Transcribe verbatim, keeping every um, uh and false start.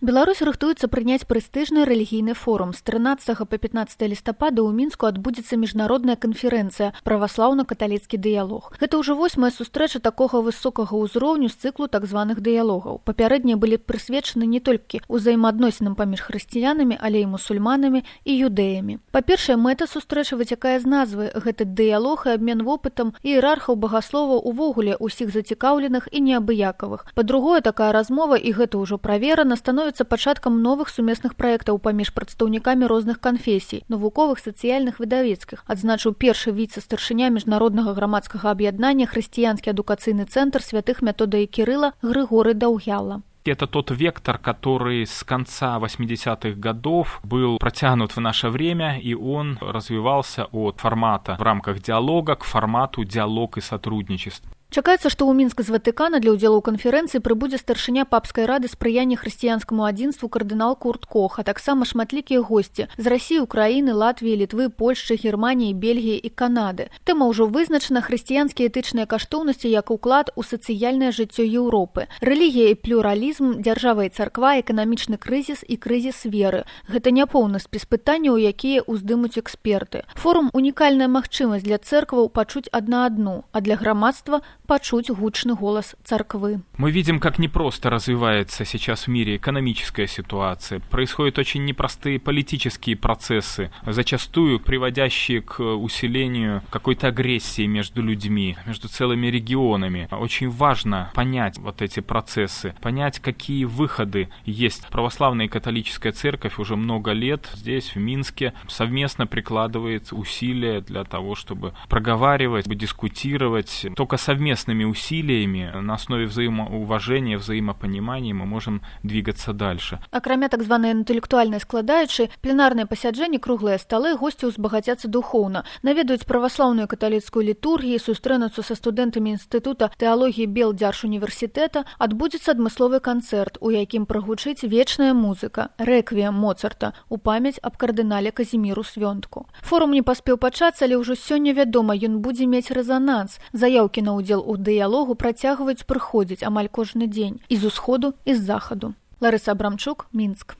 Беларусь рыхтуецца прыняць прэстыжны рэлігійны форум. З трынаццатага па пятнаццатае лістапада ў Мінску адбудзецца міжнародная канферэнцыя «Праваслаўна-каталіцкі дыялог». Гэта ўжо восьмая сустрэча такога высокага ўзроўню з цыклу так званых дыялогаў. Папярэднія былі прысвечаны не толькі ўзаемаадносінам паміж хрысціянамі, але і мусульманамі і юдэямі. Па-першае, мэта сустрэчы выцякае з назвы. Гэта дыялог і абмен вопытам іерархаў багасловаў увогуле ўсіх зацікаўленых і неабыякавых. Па-другое, такая размова, і гэта ўжо праверана, становіцца пачаткам новых сумесных праектаў паміж прадстаўнікамі розных канфесій, навуковых, сацыяльных, выдавецкіх, адзначыў першы віцэ-старшыня міжнароднага грамадскага аб'яднання хрысціянскі адукацыйны цэнтр святых Метода і Кірыла Григорий Даўгяла. Это тот вектор, который с конца восьмидесятых годов был протянут в наше время, и он развивался от формата в рамках диалога к формату диалог и сотрудничество. Чакаецца, што ў Мінск з Ватыкана для ўдзелу ў канферэнцыі прыбудзе старшыня папскай рады спрыяння хрысціянскаму адзінству кардынал Курт Кох, а таксама шматлікія госці з Расіі, Украіны, Латвіі, Літвы, Польшчы, Германіі, Бельгіі і Канады. Тэма ўжо вызначана хрысціянскія этычныя каштоўнасці як уклад у сацыяльнае жыццё Еўропы. Рэлігія і плюралізм, дзяржава і царква, эканамічны крызіс і крызіс веры. Гэта няпоўны спіс пытанняў, якія ўздымуць эксперты. Форум – унікальная магчымасць для цэркваў пачуць адна адну, а для грамадства – почуть гучный голос церквы. Мы видим, как непросто развивается сейчас в мире экономическая ситуация. Происходят очень непростые политические процессы, зачастую приводящие к усилению какой-то агрессии между людьми, между целыми регионами. Очень важно понять вот эти процессы, понять, какие выходы есть. Православная и католическая церковь уже много лет здесь, в Минске, совместно прикладывает усилия для того, чтобы проговаривать, дискутировать. Только совместно усилиями на основе взаимоуважения, взаимопонимания мы можем двигаться дальше. Акрамя так званай інтэлектуальнай складаючай, пленарныя пасяджэнні, круглыя сталы, госці ўзбагацяцца духоўна, наведаюць праваслаўную каталіцкую літургію, сустрэнуцца са студэнтамі інстытута тэалогіі Белдзяржуніверсітэта, адбудзецца адмысловы канцэрт, у якім прагучыць вечная музыка, рэквіем Моцарта, у памяць аб кардынале Казіміру Свёнтку. Форум не паспеў пачацца, але ўжо сёння вядома, ён будзе мець рэзананс. Заяўкі на ўдзел у дыялогу працягваюць прыходзіць амаль кожны дзень і з усходу, і з захаду. Ларыса Абрамчук, Мінск.